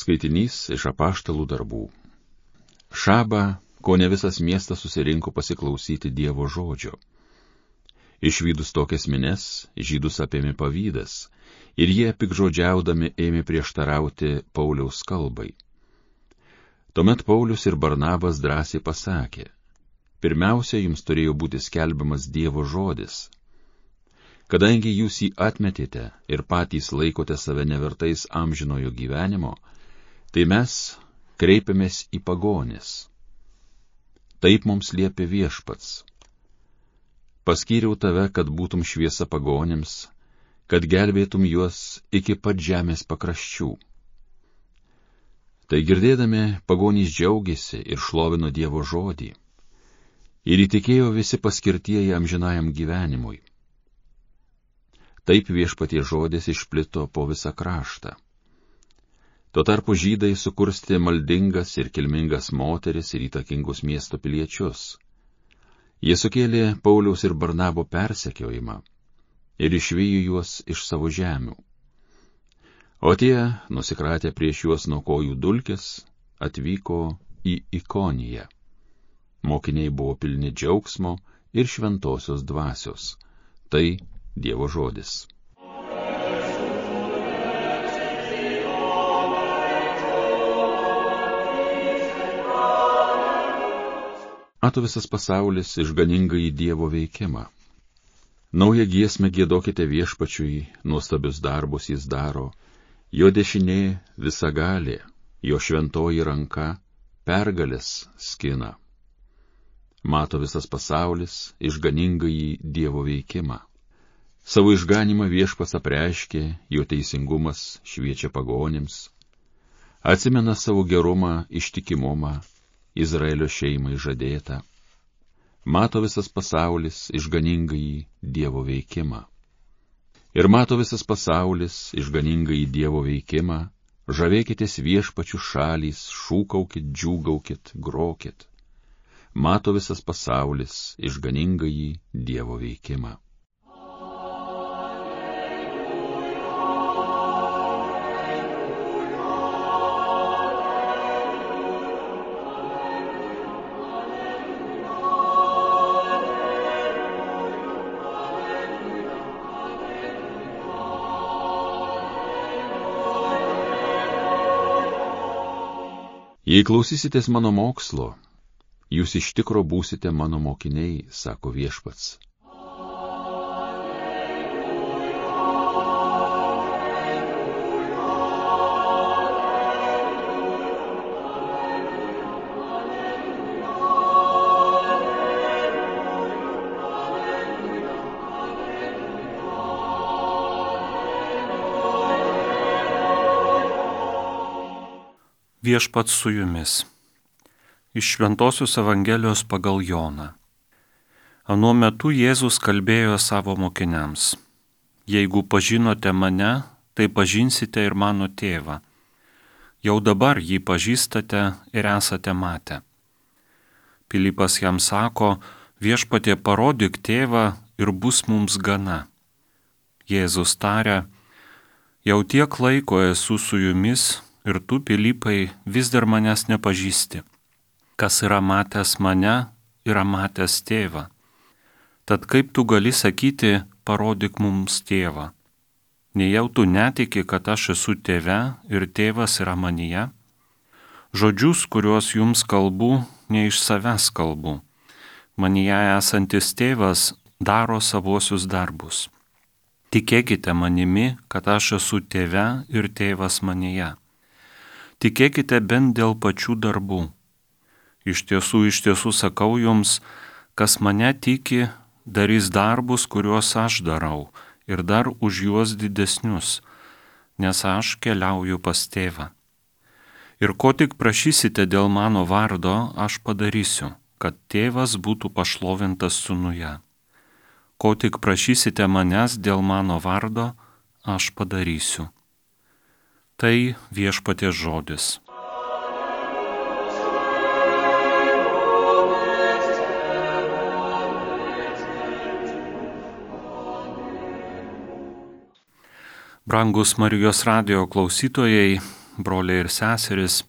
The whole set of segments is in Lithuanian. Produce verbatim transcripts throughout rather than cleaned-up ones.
Skaitinys iš Apaštalų darbų. Šabą, kone visas miestas susirinko pasiklausyti Dievo žodžio. Išvydus tokias mines, žydus apėmė pavydas, ir jie pikžodžiaudami ėmė prieštarauti Pauliaus kalbai. Tuomet Paulius ir Barnabas drąsiai pasakė: pirmiausia, jums turėjo būti skelbiamas Dievo žodis. Kadangi jūs jį atmetėte ir patys laikote save nevertais amžinojo gyvenimo, tai mes kreipiamės į pagonis. Taip mums liepė Viešpats. Paskyriau tave, kad būtum šviesa pagonims, kad gelbėtum juos iki pat žemės pakraščių. Tai girdėdami, pagonys džiaugiasi ir šlovino Dievo žodį, ir įtikėjo visi paskirtieji amžinajam gyvenimui. Taip Viešpaties žodis išplito po visą kraštą. Tuo tarpu žydai sukurstė maldingas ir kilmingas moteris ir įtakingus miesto piliečius. Jie sukėlė Pauliaus ir Barnabo persekiojimą ir išvijo juos iš savo žemių. O tie, nusikratę prieš juos nuo kojų dulkės, atvyko į Ikoniją. Mokiniai buvo pilni džiaugsmo ir šventosios dvasios. Tai Dievo žodis. Mato visas pasaulis išganingai Dievo veikimą. Naują giesmę giedokite Viešpačiui, nuostabius darbus jis daro, jo dešinė visagalė, jo šventoji ranka pergalės skina. Mato visas pasaulis išganingai Dievo veikimą. Savo išganimą Viešpats apreiškė, jo teisingumas šviečia pagonims, atsimena savo gerumą, ištikimumą, Izraelio šeimai žadėtą. Mato visas pasaulis išganingai Dievo veikimą. Ir mato visas pasaulis išganingai Dievo veikimą, žavėkitės Viešpačių šalys, šūkaukit, džiūgaukit, grokit. Mato visas pasaulis išganingai Dievo veikimą. Jei klausysitės mano mokslo, jūs iš tikro būsite mano mokiniai, sako Viešpats. Viešpats su jumis. Iš Šventosios Evangelijos pagal Joną. Anuo metu Jėzus kalbėjo savo mokiniams: jeigu pažinote mane, tai pažinsite ir mano tėvą. Jau dabar jį pažįstate ir esate matę. Pilypas jam sako: Viešpatie, parodyk tėvą ir bus mums gana. Jėzus tarė: jau tiek laiko esu su jumis, ir tu, Pilypai, vis dar manęs nepažįsti. Kas yra matęs mane, yra matęs tėvą. Tad kaip tu gali sakyti, parodyk mums tėvą? Nejau tu netiki, kad aš esu tėve ir tėvas yra manyje? Žodžius, kuriuos jums kalbu, ne iš savęs kalbu. Manyje esantis tėvas daro savuosius darbus. Tikėkite manimi, kad aš esu tėve ir tėvas manyje. Tikėkite bent dėl pačių darbų. Iš tiesų, iš tiesų sakau jums, kas mane tiki, darys darbus, kuriuos aš darau, ir dar už juos didesnius, nes aš keliauju pas tėvą. Ir ko tik prašysite dėl mano vardo, aš padarysiu, kad tėvas būtų pašlovintas sūnuje. Ko tik prašysite manęs dėl mano vardo, aš padarysiu. Tai Viešpaties žodis. Brangus Marijos radijo klausytojai, broliai ir seserys,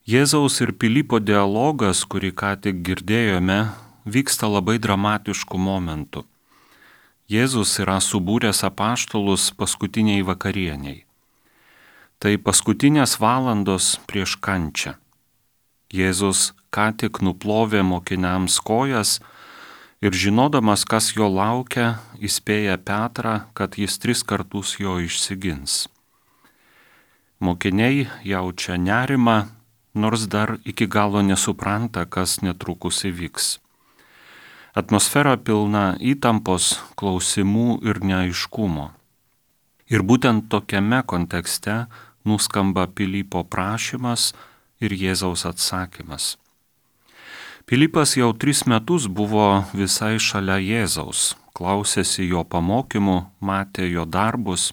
Jėzaus ir Pilypo dialogas, kurį ką tik girdėjome, vyksta labai dramatiškų momentų. Jėzus yra subūręs apaštalus paskutiniai vakarieniai. Tai paskutinės valandos prieš kančią. Jėzus ką tik nuplovė mokiniams kojas ir žinodamas, kas jo laukia, įspėja Petrą, kad jis tris kartus jo išsigins. Mokiniai jaučia nerimą, nors dar iki galo nesupranta, kas netrukus įvyks. Atmosfera pilna įtampos, klausimų ir neaiškumo. Ir būtent tokiame kontekste nuskamba Pilypo prašymas ir Jėzaus atsakymas. Pilypas jau tris metus buvo visai šalia Jėzaus, klausėsi jo pamokymų, matė jo darbus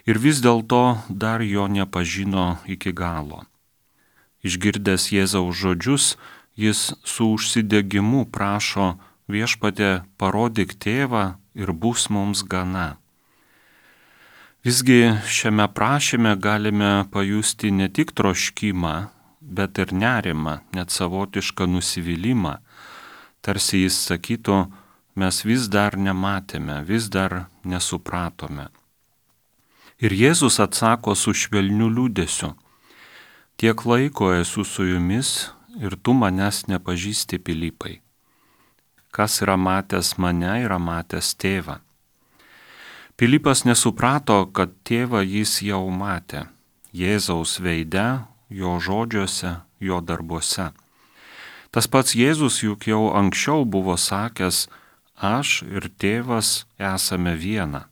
ir vis dėlto dar jo nepažino iki galo. Išgirdęs Jėzaus žodžius, jis su užsidegimu prašo: Viešpatie, parodyk tėvą ir bus mums gana. Visgi šiame prašyme galime pajusti ne tik troškimą, bet ir nerimą, net savotišką nusivylimą. Tarsi jis sakytų, mes vis dar nematėme, vis dar nesupratome. Ir Jėzus atsako su švelniu liūdesiu: Tiek laiko esu su jumis ir tu manęs nepažįsti, Pilypai. Kas yra matęs mane, yra matęs tėvą. Pilypas nesuprato, kad tėvą jis jau matė Jėzaus veide, jo žodžiuose, jo darbuose. Tas pats Jėzus juk jau anksčiau buvo sakęs: aš ir tėvas esame viena.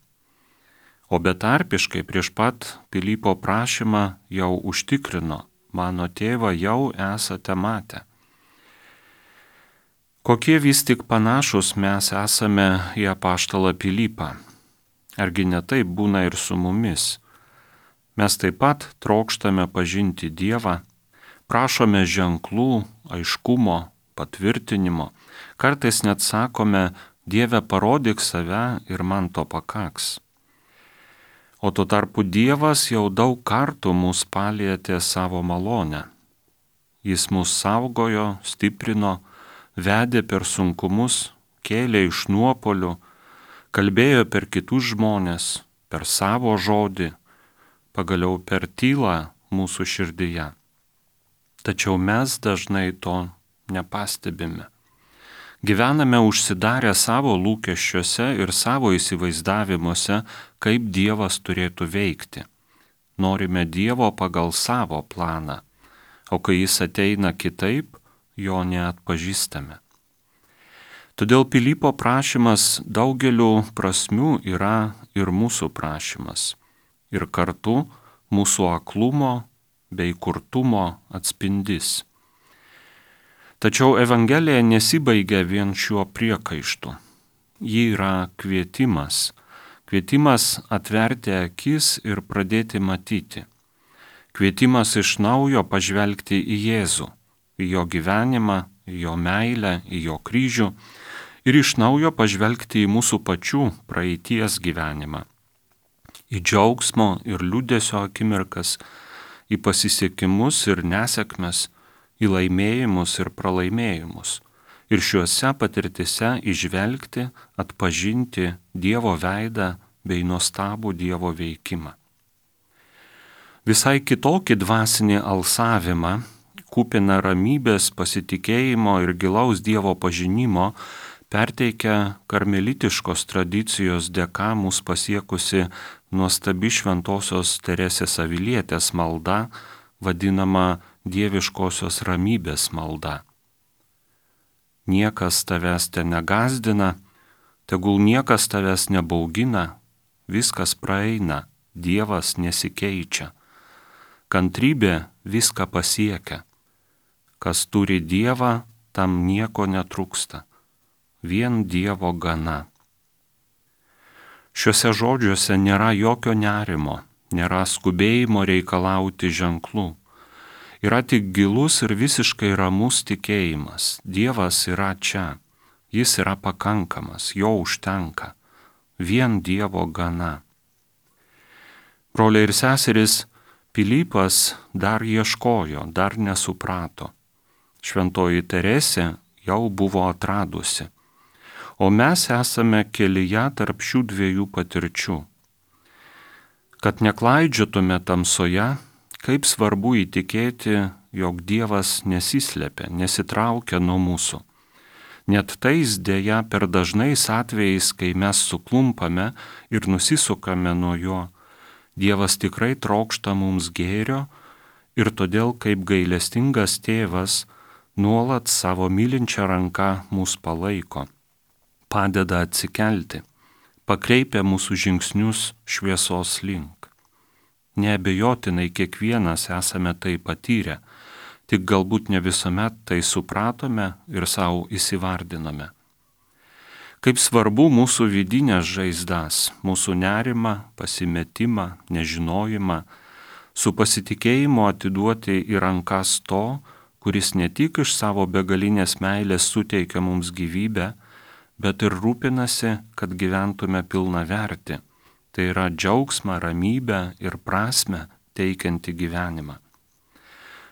O betarpiškai prieš pat Pilypo prašymą jau užtikrino: mano tėvą jau esate matę. Kokie vis tik panašus mes esame į apaštalą Pilypą. Argi ne taip būna ir su mumis? Mes taip pat trokštame pažinti Dievą, prašome ženklų, aiškumo, patvirtinimo, kartais net sakome: Dieve, parodyk save ir man to pakaks. O tuo tarpu Dievas jau daug kartų mus palietė savo malonę. Jis mus saugojo, stiprino, vedė per sunkumus, kėlė iš nuopolių, kalbėjo per kitus žmones, per savo žodį, pagaliau per tylą mūsų širdyje. Tačiau mes dažnai to nepastebime. Gyvename užsidarę savo lūkesčiuose ir savo įsivaizdavimuose, kaip Dievas turėtų veikti. Norime Dievo pagal savo planą, o kai jis ateina kitaip, jo neatpažįstame. Todėl Pilypo prašymas daugeliu prasmių yra ir mūsų prašymas, ir kartu mūsų aklumo bei kurtumo atspindys. Tačiau Evangelija nesibaigia vien šiuo priekaištu. Ji yra kvietimas. Kvietimas atverti akis ir pradėti matyti. Kvietimas iš naujo pažvelgti į Jėzų, į jo gyvenimą, į jo meilę, į jo kryžių ir iš naujo pažvelgti į mūsų pačių praeities gyvenimą. Į džiaugsmo ir liūdesio akimirkas, į pasisekimus ir nesėkmes, į laimėjimus ir pralaimėjimus. Ir šiuose patirtise įžvelgti, atpažinti Dievo veidą bei nuostabų Dievo veikimą. Visai kitokį dvasinį alsavimą, kupiną ramybės, pasitikėjimo ir gilaus Dievo pažinimo, perteikia karmelitiškos tradicijos dėka mus pasiekusi nuostabi šventosios Teresės Avilietės malda, vadinama dieviškosios ramybės malda. Niekas tavęs te negazdina, tegul niekas tavęs nebaugina, viskas praeina, Dievas nesikeičia. Kantrybė viską pasiekia. Kas turi Dievą, tam nieko netrūksta. Vien Dievo gana. Šiuose žodžiuose nėra jokio nerimo, nėra skubėjimo reikalauti ženklų. Yra tik gilus ir visiškai ramus tikėjimas. Dievas yra čia. Jis yra pakankamas, jo užtenka. Vien Dievo gana. Broliai ir seserys, Pilypas dar ieškojo, dar nesuprato. Šventoji Teresė jau buvo atradusi. O mes esame kelyje tarp šių dviejų patirčių. Kad neklaidžiotume tamsoje, kaip svarbu įtikėti, jog Dievas nesislepia, nesitraukia nuo mūsų. Net tais dėja per dažnais atvejais, kai mes suklumpame ir nusisukame nuo jo, Dievas tikrai trokšta mums gėrio ir todėl kaip gailestingas tėvas nuolat savo mylinčią ranką mus palaiko, padeda atsikelti, pakreipia mūsų žingsnius šviesos link. Neabejotinai kiekvienas esame tai patyrę, tik galbūt ne visuomet tai supratome ir savo įsivardinome. Kaip svarbu mūsų vidinės žaizdas, mūsų nerimą, pasimetimą, nežinojimą, su pasitikėjimu atiduoti į rankas to, kuris ne tik iš savo begalinės meilės suteikia mums gyvybę, bet ir rūpinasi, kad gyventume pilnavertį, tai yra džiaugsmą, ramybę ir prasmę teikianti gyvenimą.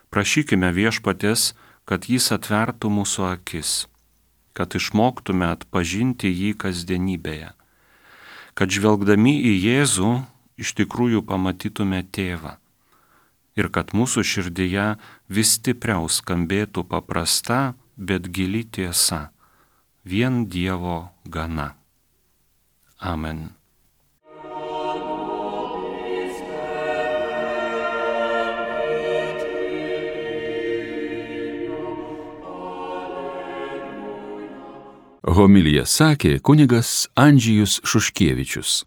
Prašykime Viešpaties, kad jis atvertų mūsų akis, kad išmoktume atpažinti jį kasdienybėje, kad žvelgdami į Jėzų iš tikrųjų pamatytume tėvą ir kad mūsų širdyje vis stipriau skambėtų paprasta, bet gili tiesa, vien Dievo gana. Amen. Homiliją sakė kunigas Andžejus Šuškevičius.